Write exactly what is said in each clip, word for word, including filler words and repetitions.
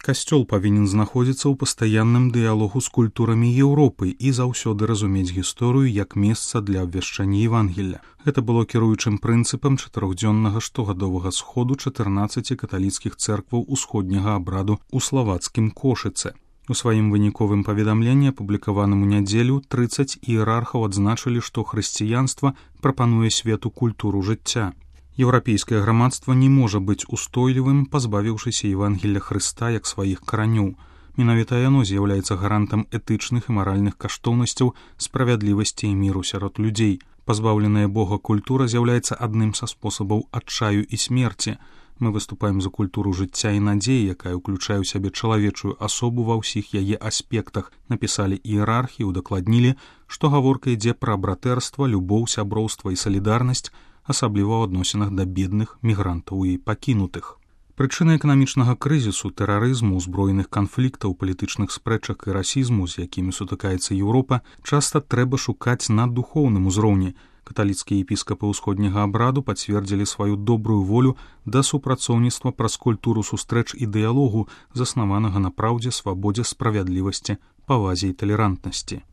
Касцёл павінен знаходзіцца ў пастаянным дыялогу з культурамі Еўропы і заўсёды разумець гісторыю як месца для абвяшчання Евангелля. Гэта было кіруючым прынцыпам чатырохдзённага штогадовага сходу чатырнаццаці каталіцкіх цэркваў усходняга абраду ў славацкім Кошыцы. У сваім выніковым паведамленні, апублікаваным у нядзелю, трыццаць іерархаў адзначылі, што хрысціянства прапануе свету культуру жыцця. Еўрапейскае грамадства не можа быць устойлівым, пазбавіўшыся Евангелля Хрыста як сваіх каранёў. Менавіта яно з'яўляецца гарантам этычных і маральных каштоўнасцяў, справядлівасці і міру сярод людзей. Пазбаўленая Бога культура з'яўляецца адным са спосабаў адчаю і смерці. Мы выступаем за культуру жыцця і надзеі, якая ўключае ў сябе чалавечую асобу ва ўсіх яе аспектах, напісалі іерархі і удакладнілі, што гаворка ідзе пра братэрства, любоў, сяброўства і салідарнасць, асабліва ў адносінах да бедных, мігрантаў і пакінутых. Прычыны эканамічнага крызісу, тэрарызму, узброеных канфліктаў, палітычных спрэчак і расізму, з якімі сутыкаецца Еўропа, часта трэба шукаць на духоўным узроўні. Каталіцкія епіскапы ўсходняга абраду пацвердзілі сваю добрую волю да супрацоўніцтва праз культуру сустрэч і дыялогу, заснаванага на праўдзе, свабодзе, справядлівасці, павазе і талерантнасці.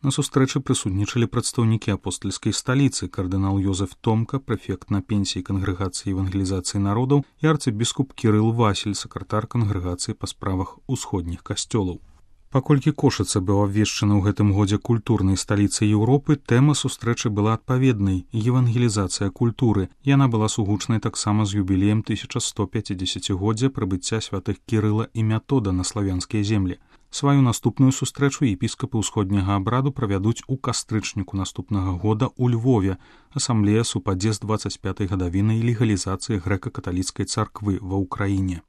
На сустрэчы прысутнічалі прадстаўнікі апостальскай сталіцы, кардынал Йозеф Томка, прэфект на пенсіі Кангрэгацыі евангелізацыі народаў, і арцыбіскуп Кірыл Васіль, сакратар Кангрэгацыі па справах усходніх касцёлаў. Паколькі Кошыца быў абвешчана ў гэтым годзе культурнай сталіцай Еўропы, тэма сустрэчы была адпаведнай – евангелізацыя культуры. Яна была сугучнай таксама з юбілеем тысяча сто пяцідзесяцігоддзя прыбыцця святых Кірыла і Метода на славянскія землі. Сваю наступную сустрэчу епіскапы ўсходняга абраду правядуць у кастрычніку наступнага года ў Львове. Асамблея супадзе з дваццаць пятай гадавінай легалізацыі грэка-каталіцкай царквы ва ўкраіне.